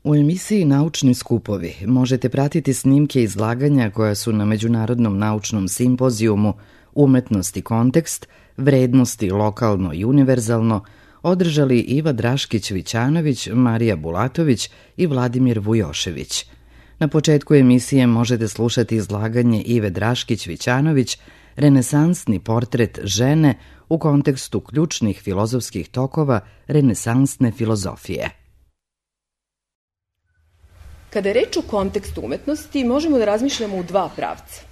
U emisiji Naučni skupovi možete pratiti snimke izlaganja koja su na Međunarodnom naučnom simpozijumu Umetnost i kontekst, vrednosti lokalno i univerzalno održali Iva Draškić-Vićanović, Marija Bulatović i Vladimir Vujošević. Na početku emisije možete slušati izlaganje Ive Draškić-Vićanović, renesansni portret žene u kontekstu ključnih filozofskih tokova renesansne filozofije. Kada je reč o kontekstu umetnosti, možemo da razmišljamo u dva pravca.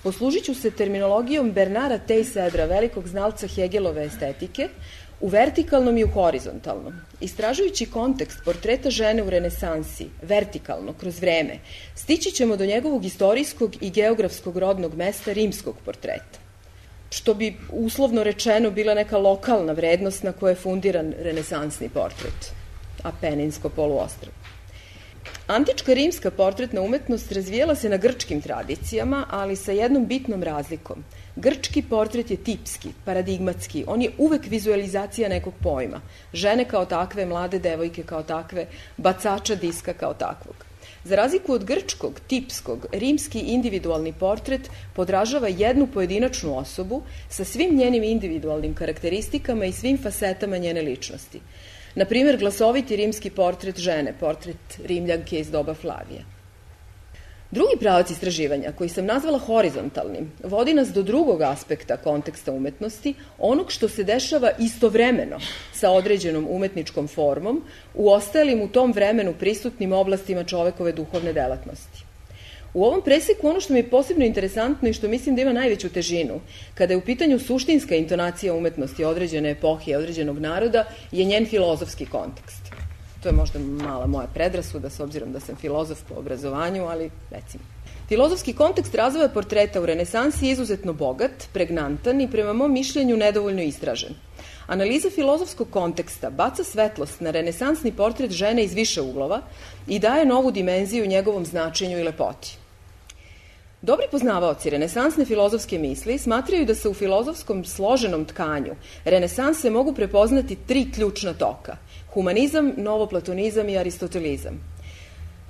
Poslužit ću se terminologijom Bernara Teyssèdra, velikog znalca Hegelove estetike, u vertikalnom i u horizontalnom. Istražujući kontekst portreta žene u renesansi, vertikalno, kroz vreme, stići ćemo do njegovog istorijskog i geografskog rodnog mesta rimskog portreta, što bi uslovno rečeno bila neka lokalna vrednost na kojoj je fundiran renesansni portret, Apeninsko poluostrvo. Antička rimska portretna umetnost razvijela se na grčkim tradicijama, ali sa jednom bitnom razlikom. Grčki portret je tipski, paradigmatski, on je uvek vizualizacija nekog pojma. Žene kao takve, mlade devojke kao takve, bacača diska kao takvog. Za razliku od grčkog, tipskog, rimski individualni portret podražava jednu pojedinačnu osobu sa svim njenim individualnim karakteristikama i svim fasetama njene ličnosti. Na primjer, glasoviti rimski portret žene, portret Rimljanke iz doba Flavija. Drugi pravac istraživanja, koji sam nazvala horizontalnim, vodi nas do drugog aspekta konteksta umetnosti, onog što se dešava istovremeno sa određenom umetničkom formom u ostalim u tom vremenu prisutnim oblastima čovekove duhovne delatnosti. U ovom preseku ono što mi je posebno interesantno i što mislim da ima najveću težinu, kada je u pitanju suštinska intonacija umetnosti određene epohe i određenog naroda, je njen filozofski kontekst. To je možda mala moja predrasuda, s obzirom da sam filozof po obrazovanju, ali recimo. Filozofski kontekst razvoja portreta u renesansi je izuzetno bogat, pregnantan i prema mom mišljenju nedovoljno istražen. Analiza filozofskog konteksta baca svetlost na renesansni portret žene iz više uglova i daje novu dimenziju njegovom značenju i lepoti. Dobri poznavaoci renesansne filozofske misli smatraju da se u filozofskom složenom tkanju renesanse mogu prepoznati tri ključna toka: humanizam, novoplatonizam i aristotelizam.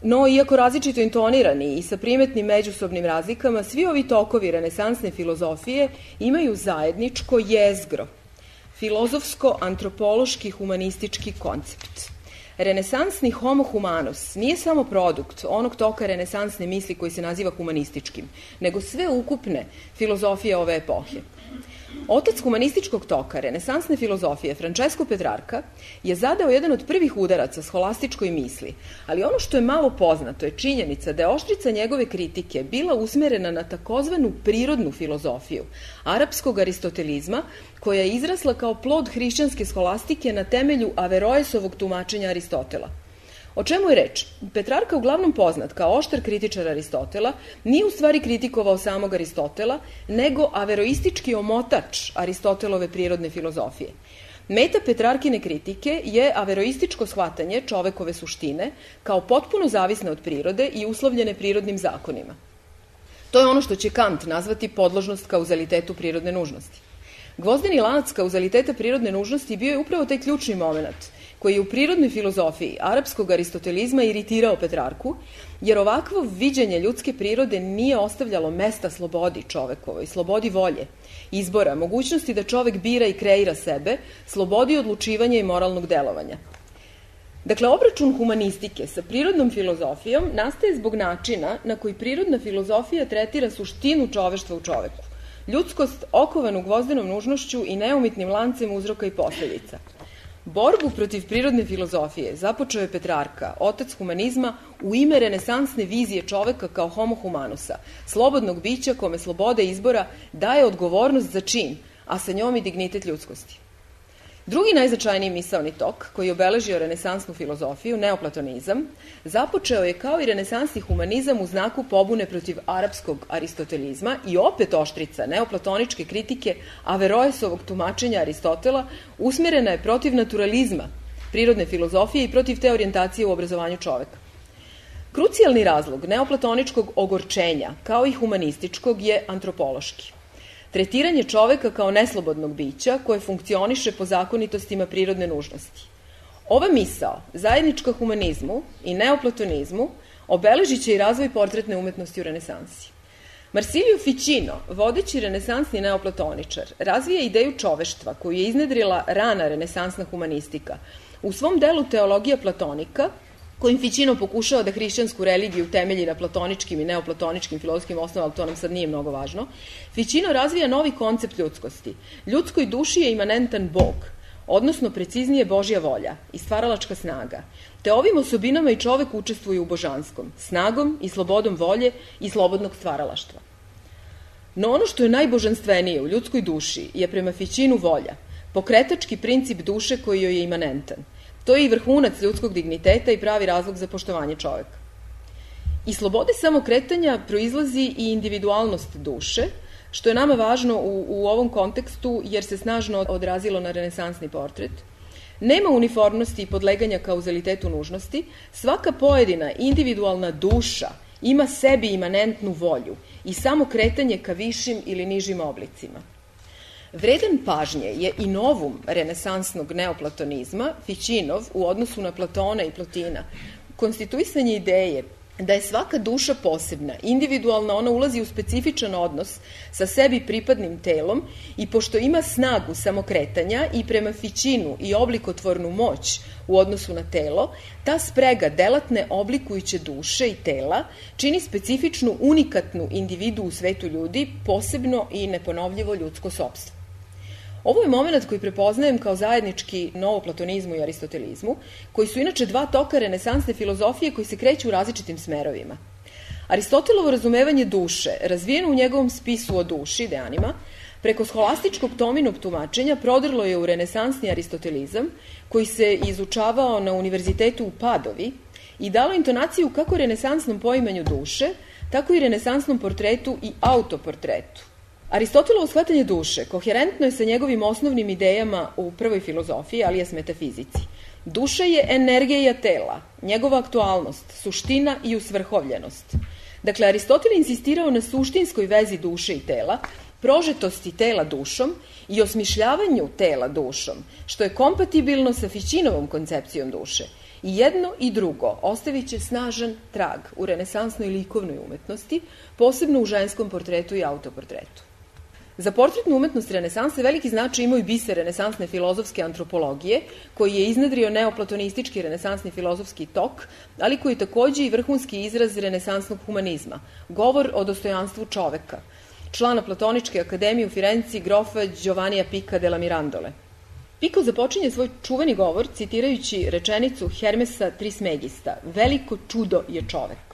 No, iako različito intonirani i sa primetnim međusobnim razlikama, svi ovi tokovi renesansne filozofije imaju zajedničko jezgro, filozofsko-antropološki humanistički koncept. Renesansni homo humanus nije samo produkt onog toka renesansne misli koji se naziva humanističkim, nego sve ukupne filozofije ove epohe. Otac humanističkog toka renesansne filozofije, Francesco Petrarca, je zadao jedan od prvih udaraca scholastičkoj misli, ali ono što je malo poznato je činjenica da je oštrica njegove kritike bila usmerena na takozvanu prirodnu filozofiju, arapskog aristotelizma, koja je izrasla kao plod hrišćanske scholastike na temelju Averroesovog tumačenja Aristotela. O čemu je reč? Petrarca, uglavnom poznat kao oštar kritičar Aristotela, nije u stvari kritikovao samog Aristotela, nego averoistički omotač Aristotelove prirodne filozofije. Meta Petrarkine kritike je averoističko shvatanje čovekove suštine kao potpuno zavisne od prirode i uslovljene prirodnim zakonima. To je ono što će Kant nazvati podložnost kauzalitetu prirodne nužnosti. Gvozdeni lanac kauzaliteta prirodne nužnosti bio je upravo taj ključni moment koji je u prirodnoj filozofiji arapskog aristotelizma iritirao Petrarku, jer ovakvo viđenje ljudske prirode nije ostavljalo mesta slobodi čovekovoj, slobodi volje, izbora, mogućnosti da čovek bira i kreira sebe, slobodi odlučivanja i moralnog delovanja. Dakle, obračun humanistike sa prirodnom filozofijom nastaje zbog načina na koji prirodna filozofija tretira suštinu čoveštva u čoveku, ljudskost okovanu gvozdenom nužnošću i neumitnim lancem uzroka i posledica. Borbu protiv prirodne filozofije započeo je Petrarca, otac humanizma, u ime renesansne vizije čoveka kao homo humanusa, slobodnog bića kome sloboda izbora daje odgovornost za čin, a sa njom i dignitet ljudskosti. Drugi najznačajniji misaoni tok, koji je obeležio renesansnu filozofiju, neoplatonizam, započeo je kao i renesansni humanizam u znaku pobune protiv arapskog aristotelizma i opet oštrica neoplatoničke kritike Averroesovog tumačenja Aristotela usmjerena je protiv naturalizma, prirodne filozofije i protiv te orijentacije u obrazovanju čoveka. Krucijalni razlog neoplatoničkog ogorčenja, kao i humanističkog, je antropološki. Tretiranje čoveka kao neslobodnog bića koje funkcioniše po zakonitostima prirodne nužnosti. Ova misao, zajednička humanizmu i neoplatonizmu, obeležit će i razvoj portretne umetnosti u renesansi. Marsilio Ficino, vodeći renesansni neoplatoničar, razvija ideju čoveštva koju je iznedrila rana renesansna humanistika. U svom delu Teologija platonika, kojim Ficino pokušava da hrišćansku religiju temelji na platoničkim i neoplatoničkim filozofskim osnovama, ali to nam sad nije mnogo važno, Ficino razvija novi koncept ljudskosti. Ljudskoj duši je imanentan Bog, odnosno preciznije Božja volja i stvaralačka snaga. Te ovim osobinama i čovek učestvuje u božanskom, snagom i slobodom volje i slobodnog stvaralaštva. No ono što je najbožanstvenije u ljudskoj duši je prema Ficinu volja, pokretački princip duše koji joj je imanentan. To je i vrhunac ljudskog digniteta i pravi razlog za poštovanje čoveka. Iz slobode samokretanja proizlazi i individualnost duše, što je nama važno u ovom kontekstu jer se snažno odrazilo na renesansni portret. Nema uniformnosti i podleganja kauzalitetu nužnosti, svaka pojedina individualna duša ima sebi imanentnu volju i samo kretanje ka višim ili nižim oblicima. Vredan pažnje je i novum renesansnog neoplatonizma, Ficinov, u odnosu na Platona i Plotina, konstituisanje ideje da je svaka duša posebna, individualna, ona ulazi u specifičan odnos sa sebi pripadnim telom i pošto ima snagu samokretanja i prema Ficinu i oblikotvornu moć u odnosu na telo, ta sprega delatne oblikujuće duše i tela čini specifičnu, unikatnu individu u svetu ljudi, posebno i neponovljivo ljudsko sopstvo. Ovo je moment koji prepoznajem kao zajednički novoplatonizmu i aristotelizmu, koji su inače dva toka renesansne filozofije koji se kreću u različitim smerovima. Aristotelovo razumevanje duše, razvijeno u njegovom spisu o duši, De Anima, preko scholastičkog Tominog tumačenja prodrlo je u renesansni aristotelizam, koji se izučavao na univerzitetu u Padovi i dalo intonaciju kako renesansnom poimanju duše, tako i renesansnom portretu i autoportretu. Aristotelovo shvatanje duše koherentno je sa njegovim osnovnim idejama u prvoj filozofiji, alias metafizici. Duša je energija tela, njegova aktualnost, suština i usvrhovljenost. Dakle, Aristotel je insistirao na suštinskoj vezi duše i tela, prožetosti tela dušom i osmišljavanju tela dušom, što je kompatibilno sa Ficinovom koncepcijom duše. I jedno i drugo ostavit će snažan trag u renesansnoj likovnoj umetnosti, posebno u ženskom portretu i autoportretu. Za portretnu umetnost renesanse veliki značaj imaju biser renesansne filozofske antropologije, koji je iznedrio neoplatonistički renesansni filozofski tok, ali koji je takođe i vrhunski izraz renesansnog humanizma, govor o dostojanstvu čoveka, člana Platoničke akademije u Firenci grofa Giovannija Pica della Mirandole. Pico započinje svoj čuveni govor citirajući rečenicu Hermesa Trismegista: veliko čudo je čovek.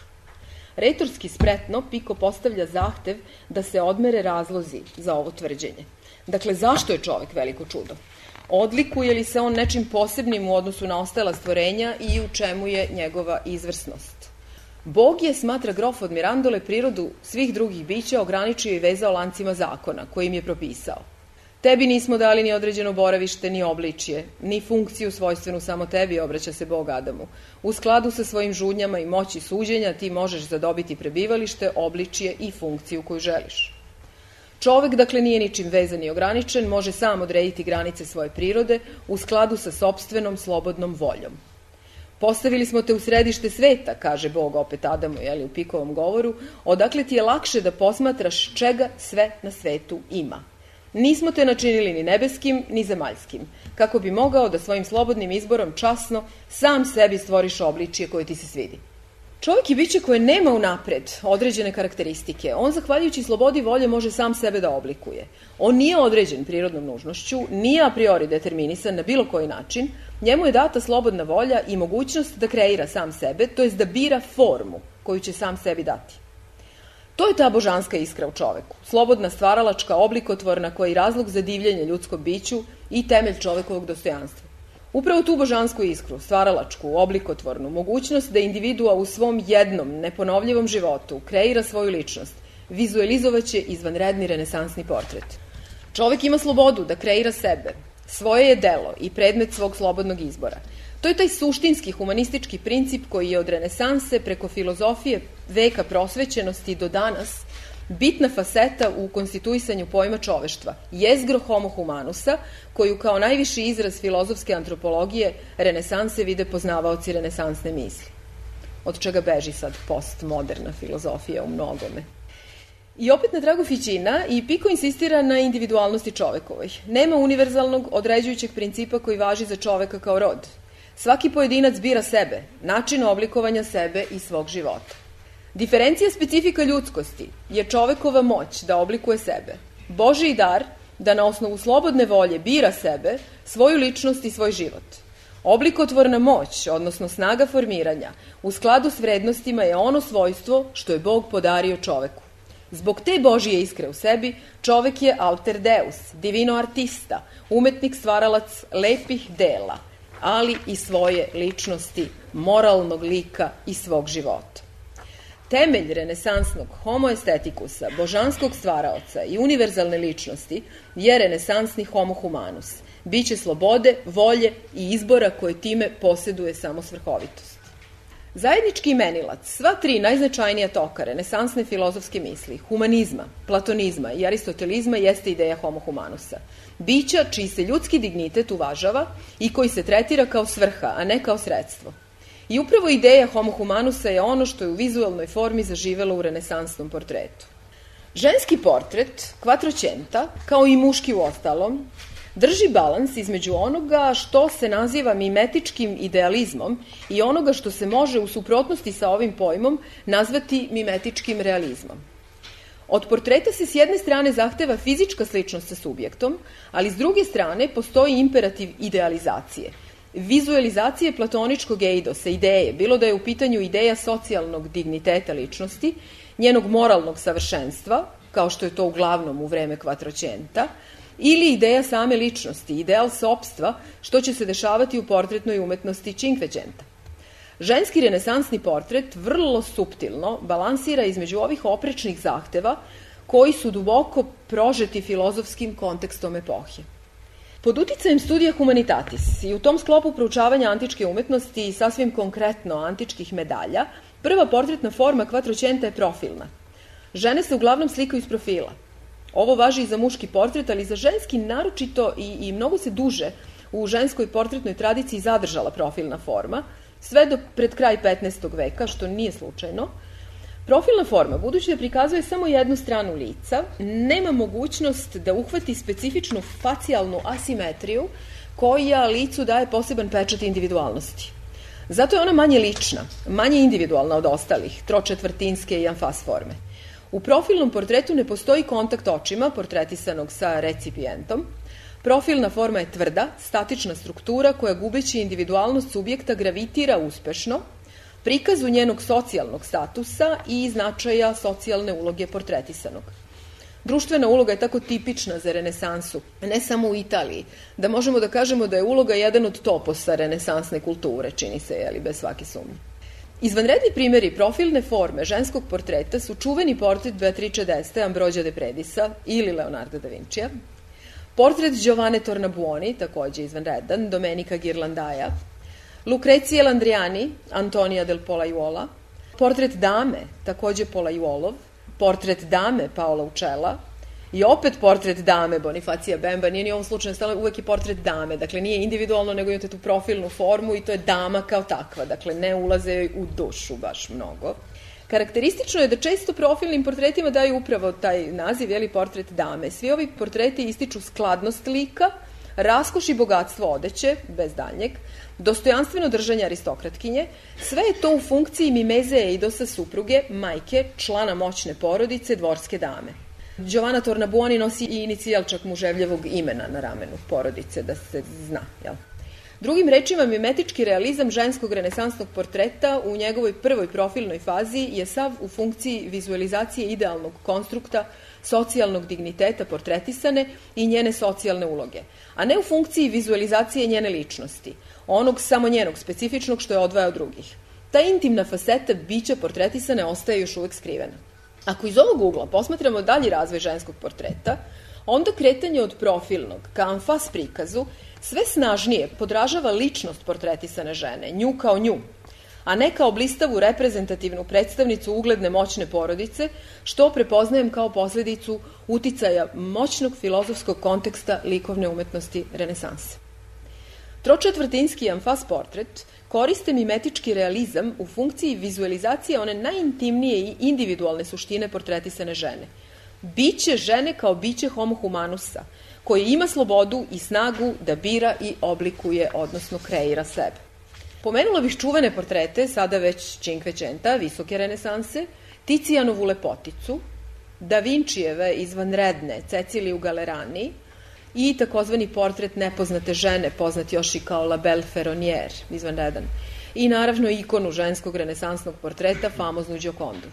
Retorski spretno Pico postavlja zahtev da se odmere razlozi za ovo tvrđenje. Dakle, zašto je čovek veliko čudo? Odlikuje li se on nečim posebnim u odnosu na ostala stvorenja i u čemu je njegova izvrsnost? Bog je, smatra grof od Mirandole, prirodu svih drugih bića ograničio i vezao lancima zakona, kojim je propisao. Tebi nismo dali ni određeno boravište, ni obličje, ni funkciju svojstvenu samo tebi, obraća se Bog Adamu. U skladu sa svojim žudnjama i moći suđenja ti možeš zadobiti prebivalište, obličje i funkciju koju želiš. Čovek, dakle, nije ničim vezan i ograničen, može sam odrediti granice svoje prirode u skladu sa sopstvenom slobodnom voljom. Postavili smo te u središte sveta, kaže Bog opet Adamu, u Pikovom govoru, odakle ti je lakše da posmatraš čega sve na svetu ima. Nismo te načinili ni nebeskim, ni zemaljskim, kako bi mogao da svojim slobodnim izborom časno sam sebi stvoriš obličje koje ti se svidi. Čovjek je biće koje nema unapred određene karakteristike. On, zahvaljujući slobodi volje, može sam sebe da oblikuje. On nije određen prirodnom nužnošću, nije a priori determinisan na bilo koji način. Njemu je data slobodna volja i mogućnost da kreira sam sebe, to jest da bira formu koju će sam sebi dati. To je ta božanska iskra u čoveku, slobodna stvaralačka, oblikotvorna, koja je razlog za divljenje ljudskom biću i temelj čovekovog dostojanstva. Upravo tu božansku iskru, stvaralačku, oblikotvornu, mogućnost da individua u svom jednom, neponovljivom životu kreira svoju ličnost, vizualizovaće izvanredni renesansni portret. Čovek ima slobodu da kreira sebe, svoje je delo i predmet svog slobodnog izbora. To je taj suštinski humanistički princip koji je od renesanse preko filozofije veka prosvećenosti do danas bitna faseta u konstituisanju pojma čoveštva, jezgro homo humanusa, koju kao najviši izraz filozofske antropologije renesanse vide poznavaoci renesansne misli. Od čega beži sad postmoderna filozofija u mnogome. I opet na tragu Ficina i Pico insistira na individualnosti čovekovoj. Nema univerzalnog određujućeg principa koji važi za čoveka kao rod. Svaki pojedinac bira sebe, način oblikovanja sebe i svog života. Diferencija specifika ljudskosti je čovekova moć da oblikuje sebe. Božiji dar da na osnovu slobodne volje bira sebe, svoju ličnost i svoj život. Oblikotvorna moć, odnosno snaga formiranja, u skladu s vrednostima je ono svojstvo što je Bog podario čoveku. Zbog te Božije iskre u sebi, čovek je alter deus, divino artista, umetnik stvaralac lepih dela, ali i svoje ličnosti, moralnog lika i svog života. Temelj renesansnog homo estetikusa, božanskog stvaraoca i univerzalne ličnosti je renesansni homo humanus, biće slobode, volje i izbora koje time poseduje samo svrhovitost. Zajednički imenilac sva tri najznačajnija toka renesansne filozofske misli, humanizma, platonizma i aristotelizma jeste ideja homo humanusa. Bića čiji se ljudski dignitet uvažava i koji se tretira kao svrha, a ne kao sredstvo. I upravo ideja homo humanusa je ono što je u vizualnoj formi zaživelo u renesansnom portretu. Ženski portret, Quattrocenta, kao i muški u ostalom, drži balans između onoga što se naziva mimetičkim idealizmom i onoga što se može u suprotnosti sa ovim pojmom nazvati mimetičkim realizmom. Od portreta se s jedne strane zahteva fizička sličnost sa subjektom, ali s druge strane postoji imperativ idealizacije. Vizualizacije platoničkog eidosa, ideje, bilo da je u pitanju ideja socijalnog digniteta ličnosti, njenog moralnog savršenstva, kao što je to uglavnom u vreme Quattrocenta, ili ideja same ličnosti, ideal sopstva, što će se dešavati u portretnoj umetnosti Cinquecenta. Ženski renesansni portret vrlo suptilno balansira između ovih oprečnih zahteva koji su duboko prožeti filozofskim kontekstom epohe. Pod uticajem studija Humanitatis i u tom sklopu proučavanja antičke umetnosti i sasvim konkretno antičkih medalja, prva portretna forma Quattrocenta je profilna. Žene se uglavnom slikaju iz profila. Ovo važi i za muški portret, ali za ženski naročito i mnogo se duže u ženskoj portretnoj tradiciji zadržala profilna forma, sve do pred kraj 15. veka, što nije slučajno. Profilna forma, budući da prikazuje samo jednu stranu lica, nema mogućnost da uhvati specifičnu facijalnu asimetriju koja licu daje poseban pečat individualnosti. Zato je ona manje lična, manje individualna od ostalih, tročetvrtinske i amfas forme. U profilnom portretu ne postoji kontakt očima, portretisanog sa recipijentom. Profilna forma je tvrda, statična struktura koja gubeći individualnost subjekta gravitira uspešno, prikazu njenog socijalnog statusa i značaja socijalne uloge portretisanog. Društvena uloga je tako tipična za renesansu, ne samo u Italiji, da možemo da kažemo da je uloga jedan od toposa renesansne kulture, čini se, bez svake sumnje. Izvanredni primjeri profilne forme ženskog portreta su čuveni portret Beatrice d'Este, Ambrogio de Predisa ili Leonarda da Vincija, portret Giovanne Tornabuoni, takođe izvanredan, Domenica Ghirlandaia, Lucrezie Landriani, Antonia del Polaiuola, portret dame, takođe Polaiuolov, portret dame Paola Ucella i opet portret dame Bonifacija Bemba, nije ni u ovom slučaju uvek je portret dame, dakle nije individualno, nego imate tu profilnu formu i to je dama kao takva, dakle ne ulaze u dušu baš mnogo. Karakteristično je da često profilnim portretima daju upravo taj naziv, portret dame. Svi ovi portreti ističu skladnost lika, raskoš i bogatstvo odeće, bez daljnjeg, dostojanstveno držanje aristokratkinje, sve je to u funkciji mimeze eidosa supruge, majke, člana moćne porodice, dvorske dame. Giovanna Tornabuoni nosi i inicijal čak muževljevog imena na ramenu porodice, da se zna, jel? Drugim rečima, mimetički realizam ženskog renesansnog portreta u njegovoj prvoj profilnoj fazi je sav u funkciji vizualizacije idealnog konstrukta, socijalnog digniteta portretisane i njene socijalne uloge, a ne u funkciji vizualizacije njene ličnosti, onog samo njenog specifičnog što je odvaja od drugih. Ta intimna faseta bića portretisane ostaje još uvek skrivena. Ako iz ovog ugla posmatramo dalji razvoj ženskog portreta, onda kretanje od profilnog ka amfas prikazu sve snažnije podražava ličnost portretisane žene, nju kao nju. a ne kao blistavu reprezentativnu predstavnicu ugledne moćne porodice, što prepoznajem kao posledicu uticaja moćnog filozofskog konteksta likovne umetnosti renesanse. Tročetvrtinski amfas portret koriste mimetički realizam u funkciji vizualizacije one najintimnije i individualne suštine portretisane žene. Biće žene kao biće homo humanusa, koji ima slobodu i snagu da bira i oblikuje, odnosno kreira sebe. Pomenula bih čuvene portrete, sada već Cinquecenta, visoke renesanse, Ticijanovu lepoticu, Da Vinčijeve izvanredne Ceciliju Galerani i takozvani portret nepoznate žene, poznat još i kao La Belle Ferronnière, izvanredan, i naravno ikonu ženskog renesansnog portreta, famoznu Giocondu.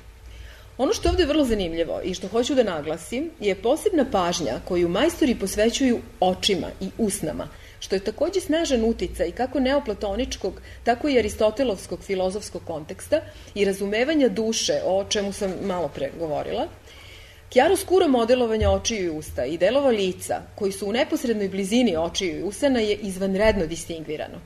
Ono što je ovde vrlo zanimljivo i što hoću da naglasim je posebna pažnja koju majstori posvećuju očima i usnama, što je takođe snažan uticaj kako neoplatoničkog, tako i aristotelovskog filozofskog konteksta i razumevanja duše, o čemu sam malo pre govorila. Chiaroscuro modelovanja očiju i usta i delova lica, koji su u neposrednoj blizini očiju i usana, je izvanredno distingvirano.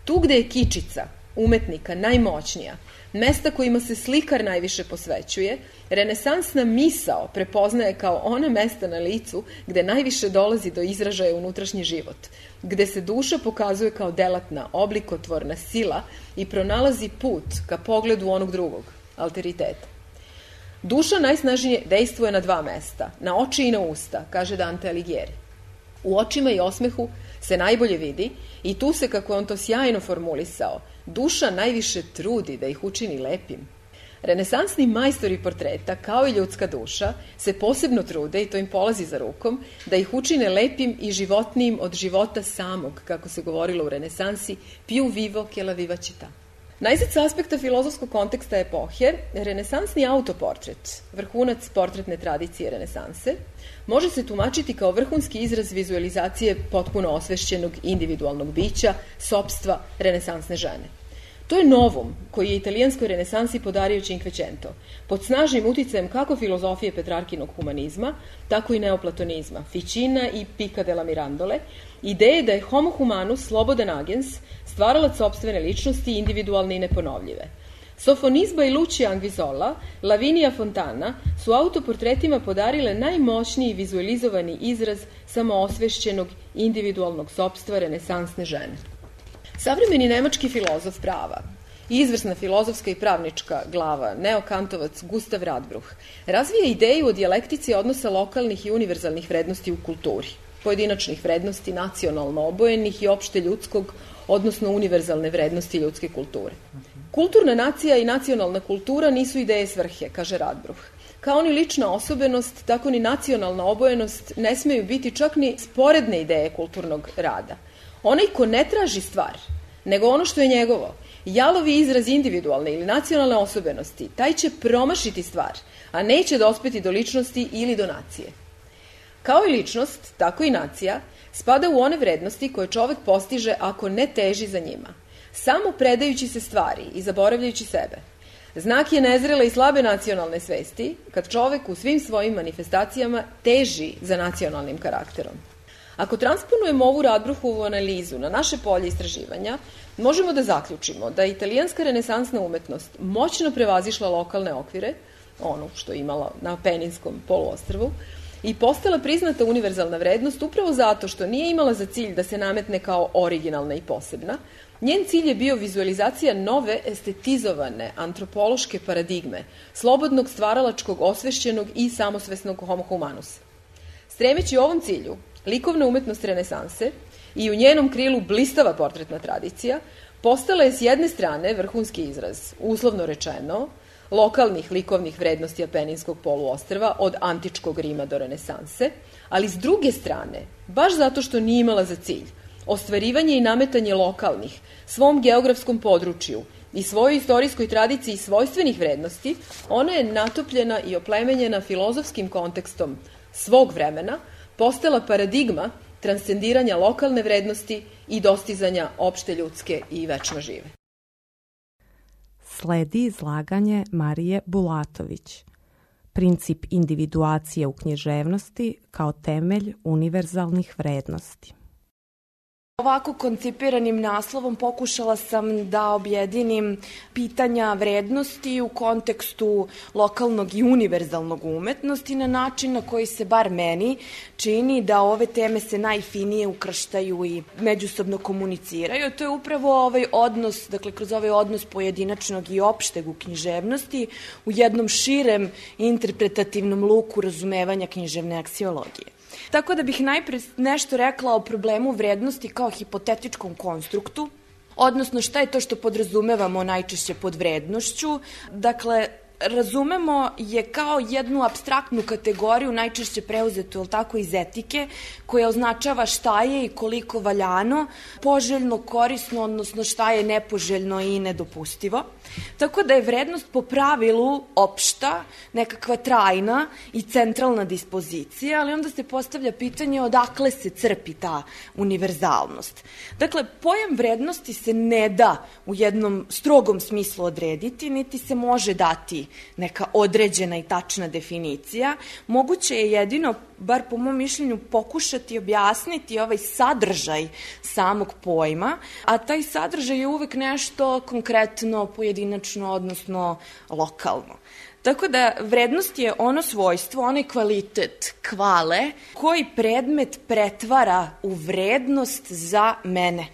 Tu gde je kičica umetnika najmoćnija, mesta kojima se slikar najviše posvećuje, renesansna misao prepoznaje kao ona mesta na licu gde najviše dolazi do izražaja unutrašnji život, gde se duša pokazuje kao delatna, oblikotvorna sila i pronalazi put ka pogledu onog drugog, alteriteta. Duša najsnažnije dejstvuje na dva mesta, na oči i na usta, kaže Dante Alighieri. U očima i osmehu se najbolje vidi i tu se, kako on to sjajno formulisao, duša najviše trudi da ih učini lepim. Renesansni majstori portreta, kao i ljudska duša, se posebno trude, i to im polazi za rukom, da ih učine lepim i životnijim od života samog, kako se govorilo u renesansi, più vivo che la vivacità. Najzad sa aspekta filozofskog konteksta epohe, renesansni autoportret, vrhunac portretne tradicije renesanse, može se tumačiti kao vrhunski izraz vizualizacije potpuno osvešćenog individualnog bića, sopstva renesansne žene. To je novum koji je italijanskoj renesansi podario Cinquecento, pod snažnim uticajem kako filozofije Petrarkinog humanizma, tako i neoplatonizma, Ficina i Pica della Mirandole, ideje da je homo humanus slobodan agens, stvaralac sopstvene ličnosti, individualne i neponovljive. Sofonisba i Lucia Anguissola, Lavinia Fontana su autoportretima podarile najmoćniji vizualizovani izraz samoosvešćenog individualnog sopstva renesansne žene. Savremeni nemački filozof prava i izvrsna filozofska i pravnička glava, neokantovac Gustav Radbruch, razvija ideju o dijalektici odnosa lokalnih i univerzalnih vrednosti u kulturi, pojedinačnih vrednosti, nacionalno obojenih i opšte ljudskog, odnosno univerzalne vrednosti ljudske kulture. Kulturna nacija i nacionalna kultura nisu ideje svrhe, kaže Radbruch. Kao ni lična osobenost, tako ni nacionalna obojenost ne smeju biti čak ni sporedne ideje kulturnog rada. Onaj ko ne traži stvar, nego ono što je njegovo, jalovi izraz individualne ili nacionalne osobenosti, taj će promašiti stvar, a neće dospeti do ličnosti ili do nacije. Kao i ličnost, tako i nacija, spada u one vrednosti koje čovek postiže ako ne teži za njima, samo predajući se stvari i zaboravljajući sebe. Znak je nezrele i slabe nacionalne svesti, kad čovek u svim svojim manifestacijama teži za nacionalnim karakterom. Ako transponujemo ovu Radbruchovu analizu na naše polje istraživanja, možemo da zaključimo da je italijanska renesansna umetnost moćno prevazišla lokalne okvire, ono što je imala na Apeninskom poluostrvu, i postala priznata univerzalna vrednost upravo zato što nije imala za cilj da se nametne kao originalna i posebna. Njen cilj je bio vizualizacija nove estetizovane antropološke paradigme, slobodnog stvaralačkog, osvešćenog i samosvesnog homo humanusa. Stremeći ovom cilju, likovna umetnost renesanse i u njenom krilu blistava portretna tradicija postala je s jedne strane vrhunski izraz, uslovno rečeno, lokalnih likovnih vrednosti Apeninskog poluostrva od antičkog Rima do renesanse, ali s druge strane, baš zato što nije imala za cilj ostvarivanje i nametanje lokalnih, svom geografskom području i svojoj istorijskoj tradiciji svojstvenih vrednosti, ona je natopljena i oplemenjena filozofskim kontekstom svog vremena, postala paradigma transcendiranja lokalne vrednosti i dostizanja opšte ljudske i večno žive. Sledi izlaganje Marije Bulatović. Princip individuacije u književnosti kao temelj univerzalnih vrednosti. Ovako koncipiranim naslovom pokušala sam da objedinim pitanja vrednosti u kontekstu lokalnog i univerzalnog umetnosti na način na koji se bar meni čini da ove teme se najfinije ukrštaju i međusobno komuniciraju. To je upravo ovaj odnos, dakle kroz ovaj odnos pojedinačnog i opšteg u književnosti u jednom širem interpretativnom luku razumevanja književne aksiologije. Tako da bih najpre nešto rekla o problemu vrednosti kao hipotetičkom konstruktu, odnosno šta je to što podrazumevamo najčešće pod vrednošću. Dakle, razumemo je kao jednu apstraktnu kategoriju, najčešće preuzetu, tako, iz etike, koja označava šta je i koliko valjano, poželjno, korisno, odnosno šta je nepoželjno i nedopustivo. Tako da je vrednost po pravilu opšta, nekakva trajna i centralna dispozicija, ali onda se postavlja pitanje odakle se crpi ta univerzalnost. Dakle, pojam vrednosti se ne da u jednom strogom smislu odrediti, niti se može dati neka određena i tačna definicija. Moguće je jedino, bar po mom mišljenju, pokušati objasniti ovaj sadržaj samog pojma, a taj sadržaj je uvek nešto konkretno, pojedinačno, odnosno lokalno. Tako da vrednost je ono svojstvo, onaj kvalitet, kvale, koji predmet pretvara u vrednost za mene.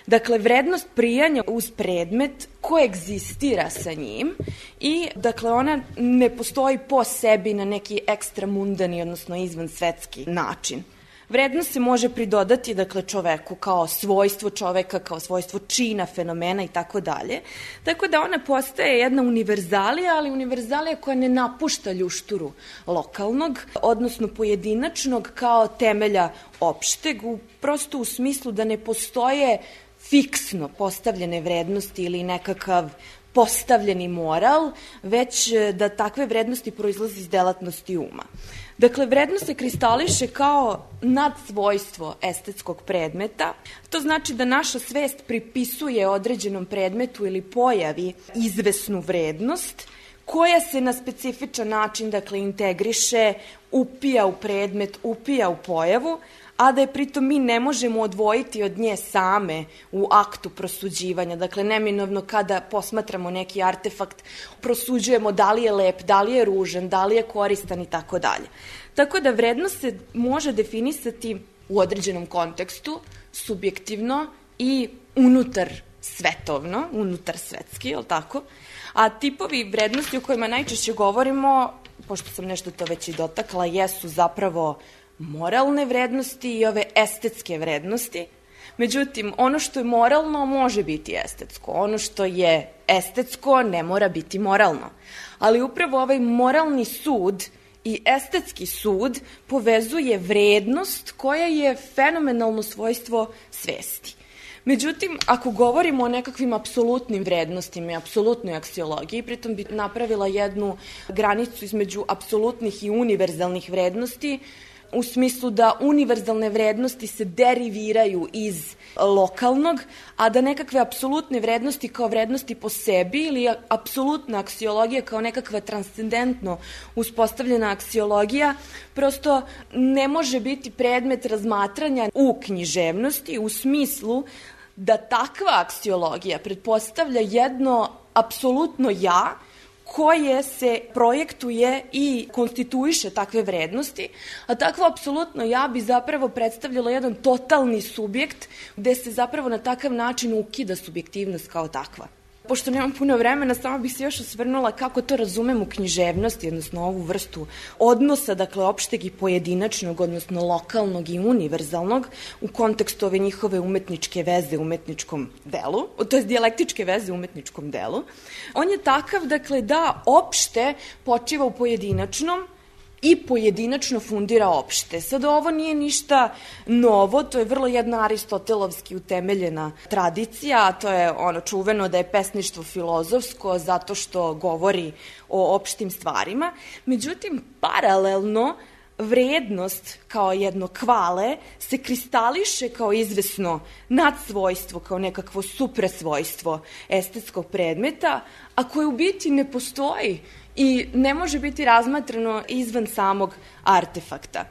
Dakle, vrednost prijanja uz predmet koegzistira sa njim i, dakle, ona ne postoji po sebi na neki ekstramundani, odnosno izvansvetski način. Vrednost se može pridodati, dakle, čoveku kao svojstvo čoveka, kao svojstvo čina, fenomena i tako dalje. Tako da ona postaje jedna univerzalija, ali univerzalija koja ne napušta ljušturu lokalnog, odnosno pojedinačnog kao temelja opšteg, prosto u smislu da ne postoje fiksno postavljene vrednosti ili nekakav postavljeni moral, već da takve vrednosti proizlazi iz delatnosti uma. Dakle, vrednost se kristališe kao nadsvojstvo estetskog predmeta. To znači da naša svest pripisuje određenom predmetu ili pojavi izvesnu vrednost, koja se na specifičan način, dakle, integriše, upija u predmet, upija u pojavu, a da je pritom mi ne možemo odvojiti od nje same u aktu prosuđivanja. Dakle, neminovno kada posmatramo neki artefakt, prosuđujemo da li je lep, da li je ružan, da li je koristan i tako dalje. Tako da vrednost se može definisati u određenom kontekstu, subjektivno i unutar svetovno, unutar svetski, je li tako? A tipovi vrednosti o kojima najčešće govorimo, pošto sam nešto to već i dotakla, jesu zapravo moralne vrednosti i ove estetske vrednosti. Međutim, ono što je moralno može biti estetsko. Ono što je estetsko ne mora biti moralno. Ali upravo ovaj moralni sud i estetski sud povezuje vrednost koja je fenomenalno svojstvo svesti. Međutim, ako govorimo o nekakvim apsolutnim vrednostima i apsolutnoj aksiologiji, pritom bi napravila jednu granicu između apsolutnih i univerzalnih vrednosti, u smislu da univerzalne vrednosti se deriviraju iz lokalnog, a da nekakve apsolutne vrednosti kao vrednosti po sebi ili apsolutna aksiologija kao nekakva transcendentno uspostavljena aksiologija prosto ne može biti predmet razmatranja u književnosti u smislu da takva aksiologija pretpostavlja jedno apsolutno ja koje se projektuje i konstituiše takve vrednosti, a takvo apsolutno ja bi zapravo predstavljalo jedan totalni subjekt gde se zapravo na takav način ukida subjektivnost kao takva. Pošto nemam puno vremena, samo bih se još osvrnula kako to razumem u književnosti, odnosno ovu vrstu odnosa, dakle, opšteg i pojedinačnog, odnosno lokalnog i univerzalnog, u kontekstu ove njihove umetničke veze u umetničkom delu, to je dijalektičke veze u umetničkom delu. On je takav, dakle, da opšte počiva u pojedinačnom i pojedinačno fundira opšte. Sad, ovo nije ništa novo, to je vrlo jedna aristotelovski utemeljena tradicija, a to je ono čuveno da je pesništvo filozofsko zato što govori o opštim stvarima. Međutim, paralelno, vrednost kao jedno kvale se kristališe kao izvesno nadsvojstvo, kao nekakvo suprasvojstvo estetskog predmeta, a koje u biti ne postoji i ne može biti razmatrano izvan samog artefakta.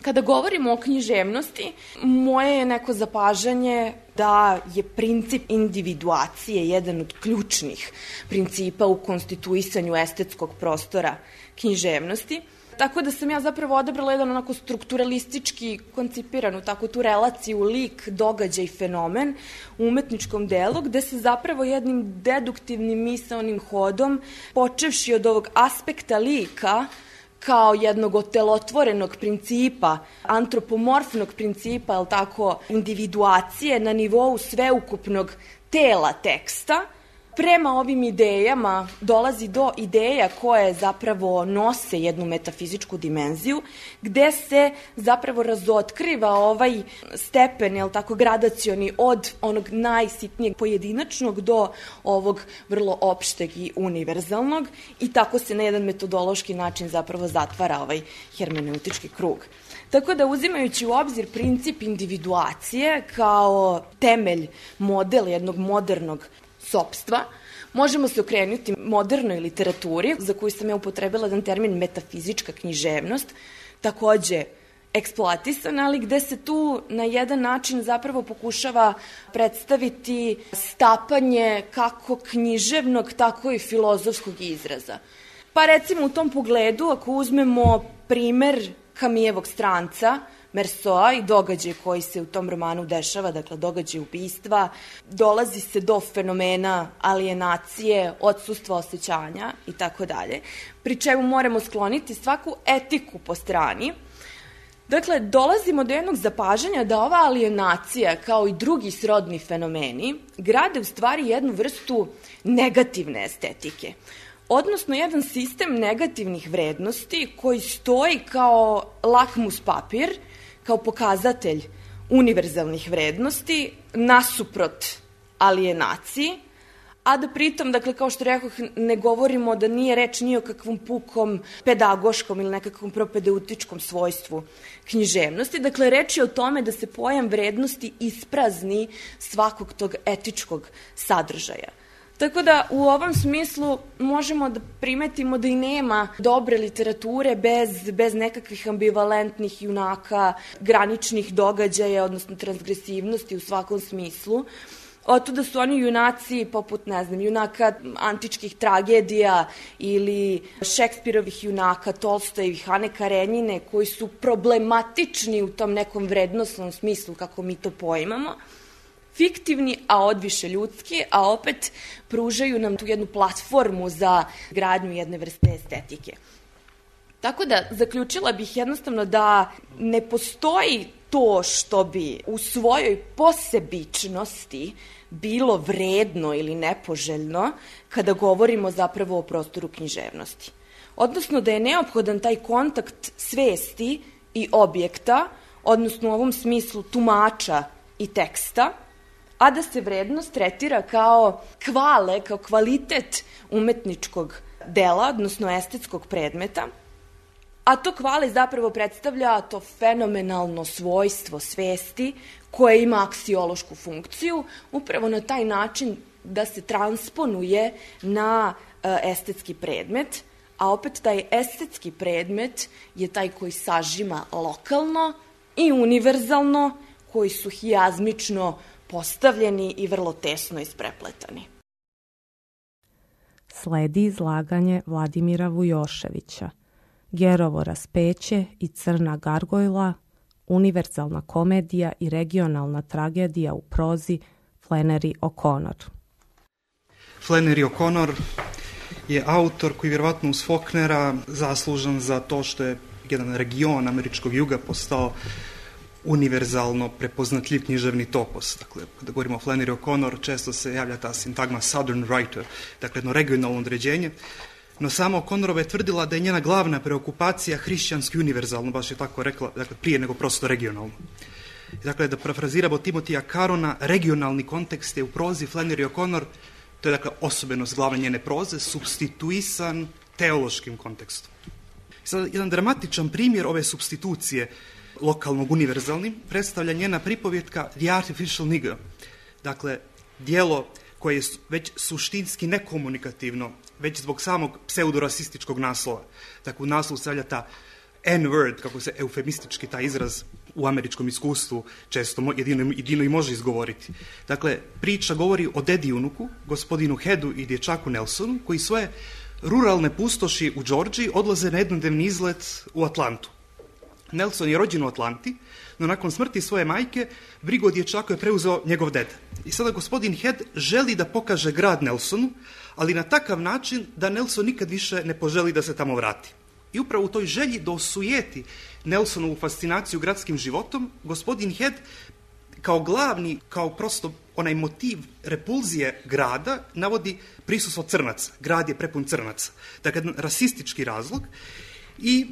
Kada govorimo o književnosti, moje je neko zapažanje da je princip individuacije jedan od ključnih principa u konstituisanju estetskog prostora književnosti. Tako da sam ja zapravo odabrala jedan onako strukturalistički koncipiranu tako tu relaciju lik, događaj, fenomen u umetničkom delu, gde se zapravo jednim deduktivnim misaonim hodom, počevši od ovog aspekta lika, kao jednog otelotvorenog principa, antropomorfnog principa, je li tako, individuacije na nivou sveukupnog tela teksta, prema ovim idejama dolazi do ideja koje zapravo nose jednu metafizičku dimenziju, gde se zapravo razotkriva ovaj stepen, je li tako, gradacioni od onog najsitnijeg pojedinačnog do ovog vrlo opšteg i univerzalnog, i tako se na jedan metodološki način zapravo zatvara ovaj hermeneutički krug. Tako da, uzimajući u obzir princip individuacije kao temelj, model jednog modernog sopstva, možemo se okrenuti modernoj literaturi, za koju sam ja upotrebila jedan termin metafizička književnost, takođe eksploatisana, ali gde se tu na jedan način zapravo pokušava predstaviti stapanje kako književnog, tako i filozofskog izraza. Pa recimo u tom pogledu, ako uzmemo primer Camilljevog Stranca, Mersoa i događaj koji se u tom romanu dešava, dakle događaj ubistva, dolazi se do fenomena alienacije, odsustva osjećanja i tako dalje, pri čemu moramo skloniti svaku etiku po strani. Dakle, dolazimo do jednog zapažanja da ova alienacija, kao i drugi srodni fenomeni, grade u stvari jednu vrstu negativne estetike, odnosno jedan sistem negativnih vrednosti koji stoji kao lakmus papir, kao pokazatelj univerzalnih vrednosti nasuprot alijenaciji, a da pritom, dakle, kao što rekoh, ne govorimo da nije reč ni o kakvom pukom pedagoškom ili nekakvom propedeutičkom svojstvu književnosti. Dakle, reč je o tome da se pojam vrednosti isprazni svakog tog etičkog sadržaja. Tako da u ovom smislu možemo da primetimo da i nema dobre literature bez nekakvih ambivalentnih junaka, graničnih događaja, odnosno transgresivnosti u svakom smislu. Otuda su oni junaci poput, ne znam, junaka antičkih tragedija ili Šekspirovih junaka, Tolstojevih, Ane Karenjine, koji su problematični u tom nekom vrednosnom smislu kako mi to poimamo, fiktivni, a odviše ljudski, a opet pružaju nam tu jednu platformu za gradnju jedne vrste estetike. Tako da, zaključila bih jednostavno da ne postoji to što bi u svojoj posebičnosti bilo vredno ili nepoželjno kada govorimo zapravo o prostoru književnosti. Odnosno da je neophodan taj kontakt svesti i objekta, odnosno u ovom smislu tumača i teksta, a da se vrednost tretira kao kao kvalitet umetničkog dela, odnosno estetskog predmeta, a to kvale zapravo predstavlja to fenomenalno svojstvo svesti koje ima aksiološku funkciju, upravo na taj način da se transponuje na estetski predmet, a opet taj estetski predmet je taj koji sažima lokalno i univerzalno, koji su hijazmično postavljeni i vrlo tesno isprepletani. Sledi izlaganje Vladimira Vujoševića, Gerovo raspeće i Crna gargojla, univerzalna komedija i regionalna tragedija u prozi Flannery O'Connor. Flannery O'Connor je autor koji vjerovatno uz Faulknera zaslužan za to što je jedan region američkog juga postao univerzalno prepoznatljiv književni topos. Dakle, kada govorimo o Flannery O'Connor, često se javlja ta sintagma Southern Writer, dakle jedno regionalno određenje, no sama O'Connorova je tvrdila da je njena glavna preokupacija hrišćanski univerzalno, baš je tako rekla, dakle prije nego prosto regionalno. Dakle, da parafraziramo Timotija Carona, regionalni kontekst je u prozi Flannery O'Connor, to je dakle osobenost glavne njene proze, supstituisan teološkim kontekstom. Sad, jedan dramatičan primjer ove supstitucije lokalnog univerzalnim predstavlja njena pripovjetka The Artificial Nigger. Dakle, dijelo koje je već suštinski nekomunikativno, već zbog samog pseudorasističkog naslova. Dakle, u naslovu stavlja ta N-word, kako se eufemistički taj izraz u američkom iskustvu često jedino i može izgovoriti. Dakle, priča govori o dedi unuku, gospodinu Headu i dječaku Nelsonu, koji svoje ruralne pustoši u Džordžiji odlaze na jednodnevni izlet u Atlantu. Nelson je rođen u Atlanti, no nakon smrti svoje majke brigu o dječaku je preuzeo njegov deda. I sada gospodin Head želi da pokaže grad Nelsonu, ali na takav način da Nelson nikad više ne poželi da se tamo vrati. I upravo u toj želji da osujeti Nelsonovu fascinaciju gradskim životom, gospodin Head kao glavni, kao prosto onaj motiv repulzije grada navodi prisustvo crnaca. Grad je prepun crnaca. Dakle, jedan rasistički razlog i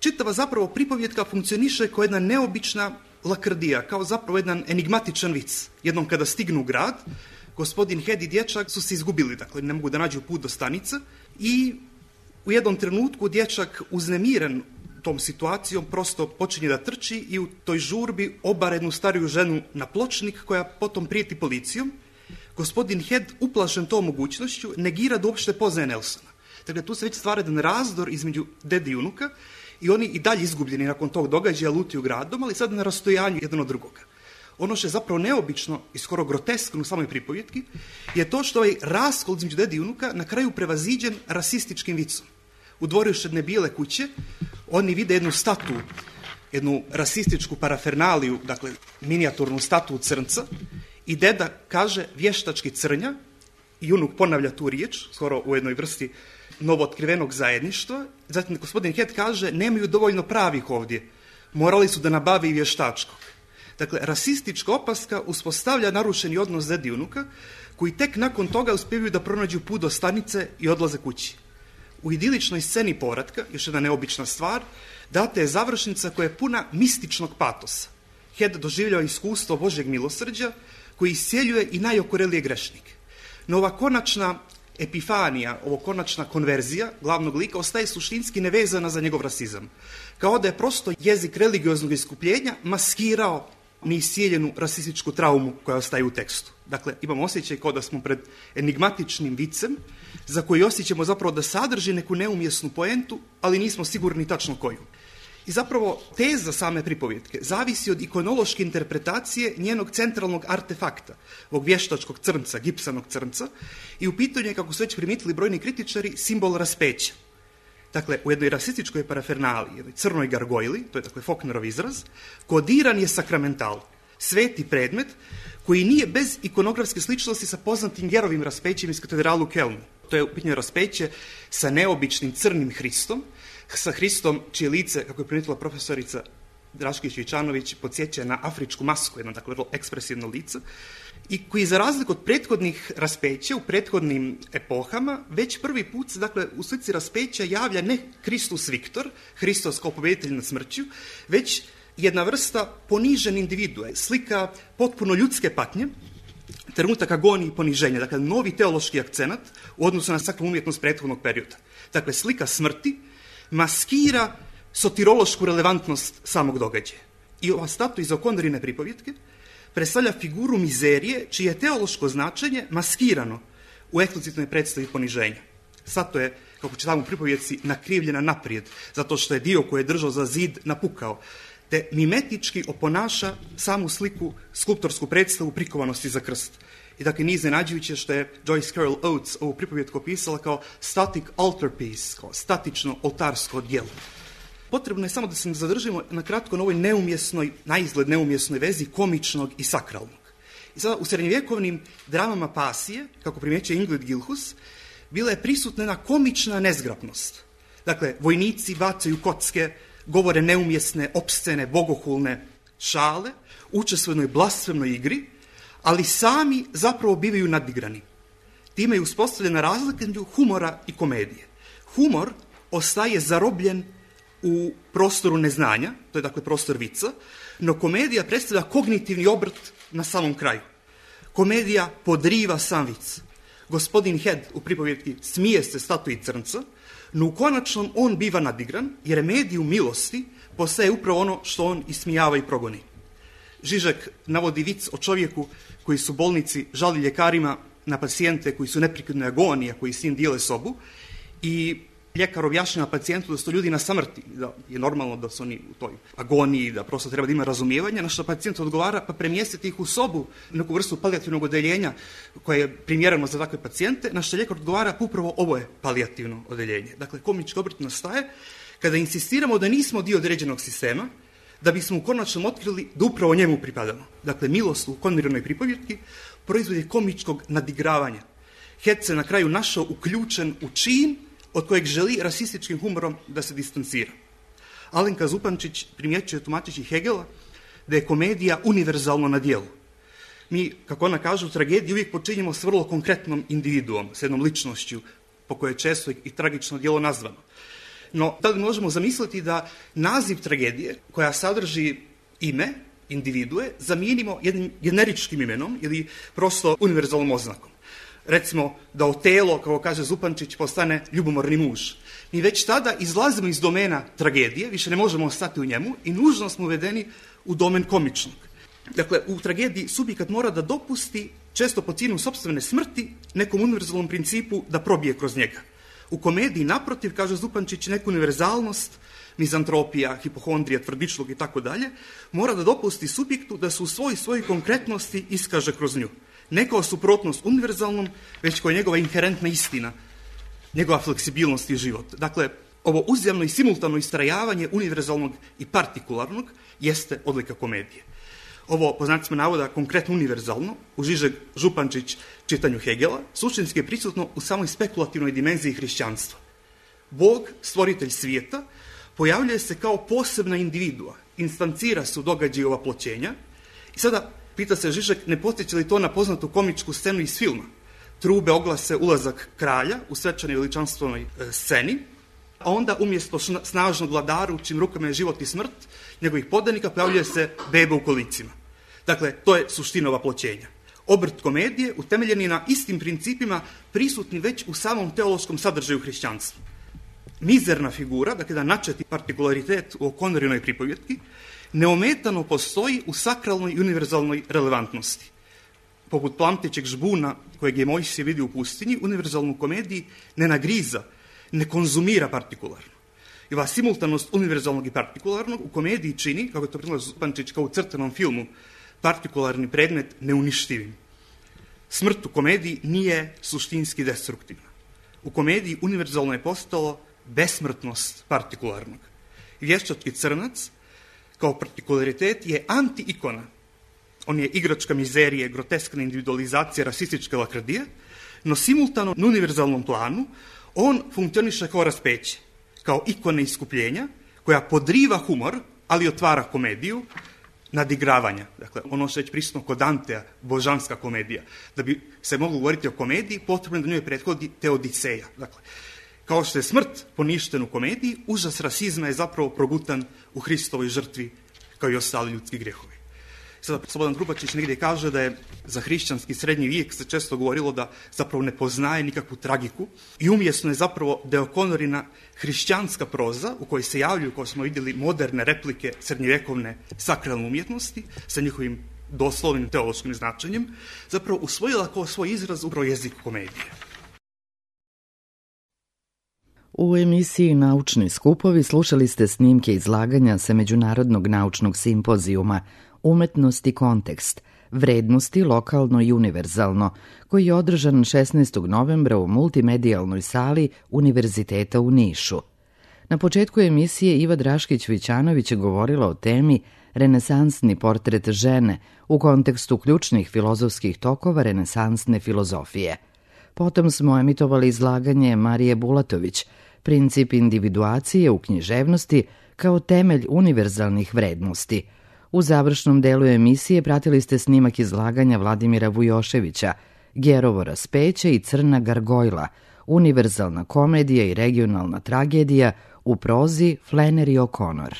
čitava zapravo pripovjetka funkcioniše kao jedna neobična lakrdija, kao zapravo jedan enigmatičan vic. Jednom kada stignu u grad, gospodin Head i dječak su se izgubili, dakle ne mogu da nađu put do stanice i u jednom trenutku dječak uznemiren tom situacijom prosto počinje da trči i u toj žurbi obara jednu stariju ženu na pločnik koja potom prijeti policijom. Gospodin Head, uplašen tom mogućnošću, negira da uopšte poznaje Nelsona. Dakle, tu se već stvara jedan razdor između dede i unuka i oni i dalje izgubljeni nakon tog događaja lutaju gradom, ali sad na rastojanju jedan od drugoga. Ono što je zapravo neobično i skoro groteskno u samoj pripovjetki je to što ovaj raskol između dede i unuka na kraju prevaziđen rasističkim vicom. U dvorištu jedne bijele kuće oni vide jednu statu, jednu rasističku parafernaliju, dakle minijaturnu statu crnca i deda kaže vještački crnja i unuk ponavlja tu riječ, skoro u jednoj vrsti novootkrivenog zajedništva. Zatim gospodin Head kaže nemaju dovoljno pravih ovdje, morali su da nabave i vještačkog. Dakle, rasistička opaska uspostavlja narušeni odnos dede i unuka, koji tek nakon toga uspijevaju da pronađu put do stanice i odlaze kući. U idiličnoj sceni povratka, još jedna neobična stvar, data je završnica koja je puna mističnog patosa. Head doživljava iskustvo Božjeg milosrđa koji iscijeljuje i najokorelije grešnike. No ova konačna epifanija, ovo konačna konverzija glavnog lika ostaje suštinski nevezana za njegov rasizam. Kao da je prosto jezik religioznog iskupljenja maskirao neiscijeljenu rasističku traumu koja ostaje u tekstu. Dakle, imamo osjećaj kao da smo pred enigmatičnim vicem za koji osjećamo zapravo da sadrži neku neumjesnu poentu, ali nismo sigurni tačno koju. I zapravo teza same pripovjetke zavisi od ikonološke interpretacije njenog centralnog artefakta, ovog vještačkog crnca, gipsanog crnca, i u pitanju je, kako su već primijetili brojni kritičari, simbol raspeća. Dakle, u jednoj rasističkoj parafernaliji, jednoj crnoj gargojli, to je dakle Faulknerov izraz, kodiran je sakramental, sveti predmet koji nije bez ikonografske sličnosti sa poznatim Gerovim raspećem iz katedralu u Kelnu. To je u pitanju raspeće sa neobičnim crnim Hristom, sa Hristom čije lice, kako je primijetila profesorica Drašković-Vičanović, podsjeća na afričku masku, jedno dakle vrlo ekspresivno lice, i koji za razliku od prethodnih raspeća u prethodnim epohama već prvi put se dakle u slici raspeća javlja ne Kristus Viktor, Hristos kao pobjeditelj nad smrću, već jedna vrsta ponižene individue, slika potpuno ljudske patnje, trenutak agonije i poniženja, dakle novi teološki akcenat u odnosu na sakralnu umjetnost prethodnog perioda. Dakle, slika smrti maskira sotirološku relevantnost samog događaja. I ova statua iz O'Connorine pripovjetke predstavlja figuru mizerije čije je teološko značenje maskirano u eksplicitnoj predstavi poniženja. Statua je, kako čitamo u pripovjetci, nakrivljena naprijed, zato što je dio koji je držao za zid napukao, te mimetički oponaša samu sliku, skulptorsku predstavu prikovanosti za krst. I dakle, nije iznenađujuće što je Joyce Carol Oates ovu pripovjetku opisala kao static altar piece, kao statično oltarsko djelo. Potrebno je samo da se zadržimo na kratko na ovoj neumjesnoj, naizgled neumjesnoj vezi komičnog i sakralnog. I sada u srednjovjekovnim dramama pasije, kako primjećuje Ingrid Gilhus, bila je prisutna jedna komična nezgrapnost. Dakle, vojnici bacaju kocke, govore neumjesne, opscene, bogohulne šale, učestvuju u jednoj blasfemnoj igri, ali sami zapravo bivaju nadigrani. Time je uspostavljena razlika između humora i komedije. Humor ostaje zarobljen u prostoru neznanja, to je dakle prostor vica, no komedija predstavlja kognitivni obrt na samom kraju. Komedija podriva sam vic. Gospodin Head u pripovjetki smije se statui crnca, no u konačnom on biva nadigran, jer medijum milosti postaje upravo ono što on ismijava i progoni. Žižek navodi vic o čovjeku koji su bolnici žali ljekarima na pacijente koji su neprekidno agonija, koji s njim dijele sobu, i ljekar objašnjava pacijentu da su ljudi na samrti, da je normalno da su oni u toj agoniji, da prosto treba da ima razumijevanja, na što pacijent odgovara pa premjestiti ih u sobu, neku vrstu palijativnog odeljenja koje je primjereno za takve pacijente, na što ljekar odgovara pa upravo ovo je palijativno odeljenje. Dakle, komički obrt nastaje kada insistiramo da nismo dio određenog sistema, da bismo u konačnom otkrili da upravo njemu pripadamo. Dakle, Milost u Konrirovoj pripovjetki proizvod je komičkog nadigravanja. Hec se na kraju našao uključen u čin od kojeg želi rasističkim humorom da se distancira. Alenka Zupančić primjećuje tumačeći Hegela da je komedija univerzalno na djelu. Mi, kako ona kaže, u tragediji uvijek počinjemo s vrlo konkretnom individuom, s jednom ličnošću, po kojoj je često i tragično djelo nazvano. No, da li možemo zamisliti da naziv tragedije, koja sadrži ime, individue, zamijenimo jednim generičkim imenom ili prosto univerzalnom oznakom. Recimo da Otelo, kako kaže Zupančić, postane ljubomorni muž. Mi već tada izlazimo iz domena tragedije, više ne možemo ostati u njemu i nužno smo uvedeni u domen komičnog. Dakle, u tragediji subjekat mora da dopusti, često po cijenu sopstvene smrti, nekom univerzalnom principu da probije kroz njega. U komediji, naprotiv, kaže Zupančić, neku univerzalnost, mizantropija, hipohondrija, tvrdičlog i tako dalje, mora da dopusti subjektu da se u svojoj konkretnosti iskaže kroz nju. Ne kao suprotnost univerzalnom, već kao njegova inherentna istina, njegova fleksibilnost i život. Dakle, ovo uzjamno i simultano istrajavanje univerzalnog i partikularnog jeste odlika komedije. Ovo, po znacima navoda, konkretno univerzalno, u Žižek Župančić čitanju Hegela, suštinski je prisutno u samoj spekulativnoj dimenziji hrišćanstva. Bog, stvoritelj svijeta, pojavljuje se kao posebna individua, instancira se u događaju oploćenja i sada pita se Žižek, ne podsjeća li to na poznatu komičku scenu iz filma? Trube oglase ulazak kralja u svečanoj veličanstvenoj sceni, a onda umjesto snažnog vladara u čijim rukama je život i smrt, njegovih podanika pojavljuje se beba u kolicima. Dakle, to je suština oploćenja. Obrt komedije utemeljen je na istim principima prisutni već u samom teološkom sadržaju hrišćanstva. Mizerna figura, dakle da načeti partikularitet u Konrirovoj pripovjetki, neometano postoji u sakralnoj i univerzalnoj relevantnosti. Poput plamtećeg žbuna kojeg je Mojsije vidio u pustinji, univerzalnu komediji ne nagriza, ne konzumira partikularno. I ova simultanost univerzalnog i partikularnog u komediji čini, kako je to predlaže Zupančić kao u crtanom filmu, partikularni predmet neuništivim. Smrt u komediji nije suštinski destruktivna. U komediji univerzalno je postalo besmrtnost partikularnog. Vještački crnac kao partikularitet je anti-ikona. On je igračka mizerije, groteskna individualizacija, rasističke lakrdije, no simultano na univerzalnom planu on funkcioniše kao raspeće, kao ikona iskupljenja koja podriva humor, ali otvara komediju, nadigravanja. Dakle, ono što je već prisutno kod Dantea, božanska komedija. Da bi se moglo govoriti o komediji, potrebno da njoj prethodi Teodiseja. Dakle, kao što je smrt poništen u komediji, užas rasizma je zapravo progutan u Hristovoj žrtvi, kao i ostali ljudski grijehovi. Sada Slobodan Trubačić negdje kaže da je za hrišćanski srednji vijek se često govorilo da zapravo ne poznaje nikakvu tragiku i umjesno je zapravo da je Konorina hrišćanska proza u kojoj se javljaju, kao smo vidjeli, moderne replike srednjevjekovne sakralne umjetnosti sa njihovim doslovnim teološkim značenjem, zapravo usvojila kao svoj izraz upravo jezik komedije. U emisiji Naučni skupovi slušali ste snimke izlaganja sa Međunarodnog naučnog simpozijuma Umetnost i kontekst, vrednosti lokalno i univerzalno, koji je održan 16. novembra u multimedijalnoj sali Univerziteta u Nišu. Na početku emisije Iva Draškić-Vićanović je govorila o temi Renesansni portret žene u kontekstu ključnih filozofskih tokova renesansne filozofije. Potom smo emitovali izlaganje Marije Bulatović, Princip individuacije u književnosti kao temelj univerzalnih vrednosti. U završnom delu emisije pratili ste snimak izlaganja Vladimira Vujoševića, Gerovo raspeće i Crna gargojla, univerzalna komedija i regionalna tragedija u prozi Flannery O'Connor.